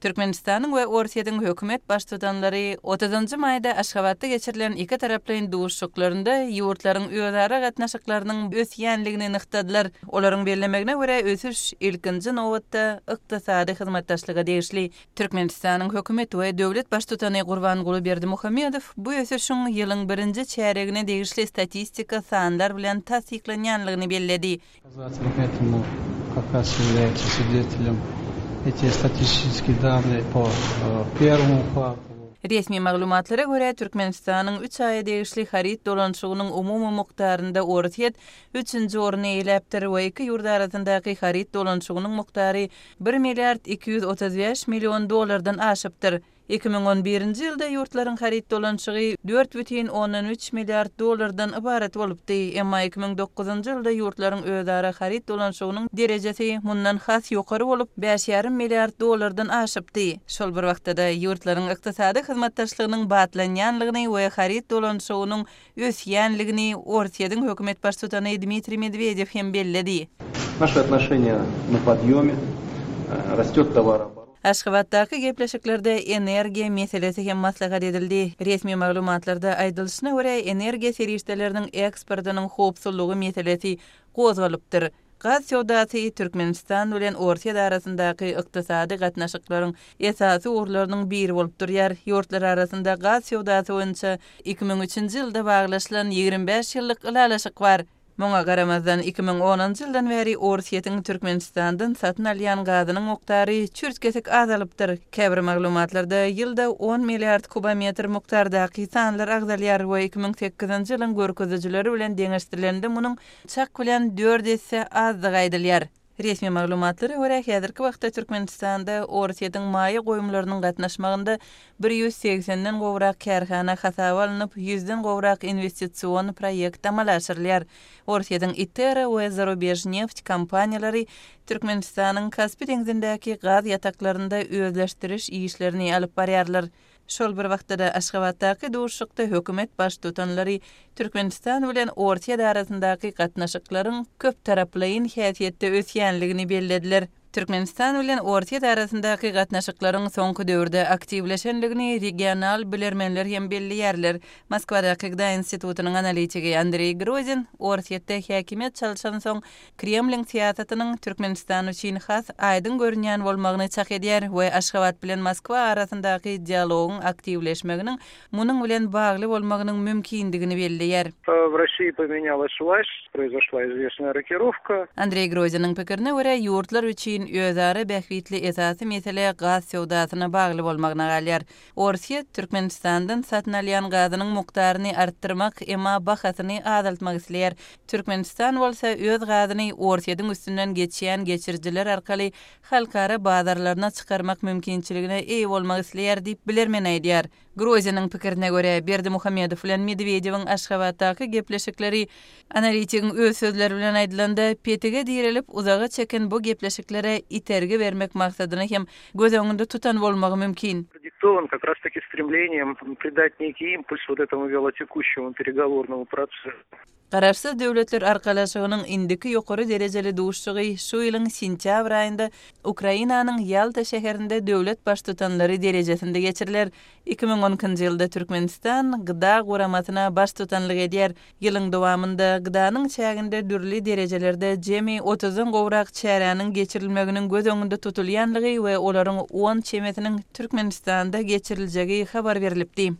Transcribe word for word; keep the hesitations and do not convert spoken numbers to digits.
Türkmenistanyň we Orsýetiň hökümet baştutanlary otuzynjy maýda Aşgabatda geçirilen ikitaraplaýyn duşuşyklarynda ýurtlaryň özara gatnaşyklarynyň ösýänligini nygtadylar. Olaryň bellemegine görä, ösüş ilkinji nobatda ykdysady hyzmatdaşlyga degişli. Türkmenistanyň hökümet we döwlet baştutany Gurbanguly Berdimuhamedow bu ösüşiň ýylyň birinji çärýegine degişli statistika sanlar bilen tassyklanýanlygyny belledi. Показатель этому как раз является свидетелем эти статистические данные по первому кварталу. Resmi maglumatlara görä, Türkmenistanyň üç aýa degişli haryt dolanyşygynyň umumy mukdarynda Orsýet üçünji orny eýeläpdir we iki ýurt arasyndaky haryt dolanyşygynyň mukdary bir milliard iki ýüz otuz bäş million dollardan aşypdyr. Iki müň on birinji ýylda ýurtlaryň haryt dolanyşygy dört bütin ondan üç milliard dollardan ybarat bolupdy, emma iki müň dokuzynjy ýylda ýurtlaryň özara haryt dolanyşygynyň derejesi mundan has ýokary bolup, bäş ýarym milliard dollardan aşypdy. Şol bir wagtda-da ýurtlaryň ykdysady hyzmatdaşlygynyň batlanýanlygyny we haryt dolanyşygynyň ösýänligini Orsýetiň hökümet baştutany Dmitriý Medwedew hem belledi. Наши отношения на подъеме, растет товарооборот. Aşgabatdaky gepleşiklerde energiýa meselesi hem maslahat edildi. Resmi maglumatlarda aýdylyşyna görä, energiýa serişdeleriniň eksportynyň howpsuzlygy meselesi gozgalypdyr. Gaz söwdasy Türkmenistan bilen Orsýet arasyndaky ykdysady gatnaşyklaryň esasy ugurlarynyň biri bolup durýar. Ýurtlar arasynda gaz söwdasy boýunça iki müň üçünji ýylda baglaşylan ýigrimi bäş ýyllyk ylalaşyk bar. Muňa garamazdan iki müň onunjy ýyldan bäri Orsýetiň Türkmenistandan satyn alýan gazynyň mukdary çürt-kesik azalypdyr. Käbir maglumatlarda ýylda on milliard kubometr mukdardaky sanlar agzalýar we iki müň sekizinji ýylyň görkezijileri bilen deňeşdirilende munuň çak bilen dört esse azdygy aýdylýar. Resmi maglumatlara görä, häzirki wagtda Türkmenistanda Orsýetiň maýa goýumlarynyň gatnaşmagynda bir ýüz segsenden gowrak kärhana hasaba alnyp, ýüzden gowrak investision proýekt amala aşyrylýar. Orsýetiň Itera we Zarubejneft kompaniýalary Türkmenistanyň Kaspi deňzindäki gaz ýataklarynda özleşdiriş işlerini alyp barýarlar. Şol bir wagtda-da Aşgabatdaky duşuşykda hökümet baştutanlary Türkmenistan bilen Orsýet arasyndaky gatnaşyklaryň köp taraplaýyn häsiýetde ösýänligini bellediler. Türkmenistan bilen Orsýet arasyndaky gatnaşyklaryň soňky döwürde aktiwleşenligini regional bilermenler hem belleýärler. Moskwadaky Gda institutynyň analitigi Andreý Grozin Orsýetde häkimiýet çalşan soň Kremliň syýasatynyň Türkmenistan üçin has aýdyň görünýän bolmagyny çak edýär we Aşgabat bilen Moskwa arasyndaky dialogyň aktiwleşmeginiň munuň bilen bagly bolmagynyň mümkindigini belleýär. В России поменялась власть, произошла известная рокировка. Andreý Groziniň pikirine görä, ýurtlar üçin özara bähbitli esasy mesele gaz söwdasyna bagly bolmagyna galýar. Orsýet Türkmenistandan satyn alýan gazynyň mukdaryny artdyrmak, emma bahasyny azaltmak isleýär. Türkmenistan bolsa öz gazyny Orsýetiň üstünden geçýän geçirijiler arkaly halkara bazarlaryna çykarmak mümkinçiligine eýe bolmak isleýär diýip bilermen aýdýar. Groziniň pikirine görä, Berdimuhamedow bilen Medwedewiň Aşgabatdaky gepleşikleri analitigiň öz sözleri bilen aýdylanda petige direlip uzaga çeken bu gepleşiklere itergi bermek maksadyny hem göz öňünde tutan bolmagy mümkin. Продиктован как раз-таки стремлением придать некий импульс вот этому вялотекущему переговорному процессу. Garaşsyz Döwletler Arkalaşygynyň indiki ýokary derejeli duşuşygy şu ýylyň sentýabr aýynda Ukrainanyň Ýalta şäherinde döwlet baştutanlary derejesinde geçiriler. Iki müň on ikinji ýylda Türkmenistan Gda guramasyna baştutanlyk edýär. Ýylyň dowamynda Gdanyň çäginde dürli derejelerde jemi otuzdan gowrak çäräniň geçirilmeginiň göz öňünde tutulýanlygy we olaryň on çemesiniň Türkmenistanda geçiriljegi habar berilipdi.